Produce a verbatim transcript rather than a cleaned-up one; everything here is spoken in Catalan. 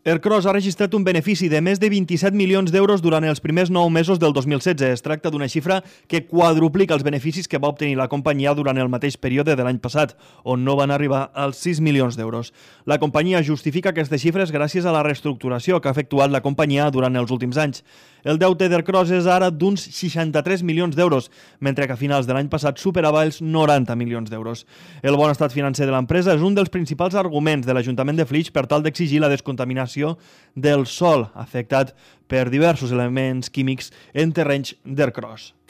Ercros ha registrat un benefici de més de vint-i-set milions d'euros durant els primers nou mesos del dos mil setze. Es tracta d'una xifra que quadruplica els beneficis que va obtenir la companyia durant el mateix període de l'any passat, on no van arribar als sis milions d'euros. La companyia justifica aquestes xifres gràcies a la reestructuració que ha efectuat la companyia durant els últims anys. El deute d'Ercros és ara d'uns seixanta-tres milions d'euros, mentre que a finals de l'any passat superava els noranta milions d'euros. El bon estat financer de l'empresa és un dels principals arguments de l'Ajuntament de Flix per tal d'exigir la descontaminació del sòl afectat per diversos elements químics en terrenys d'Ercros.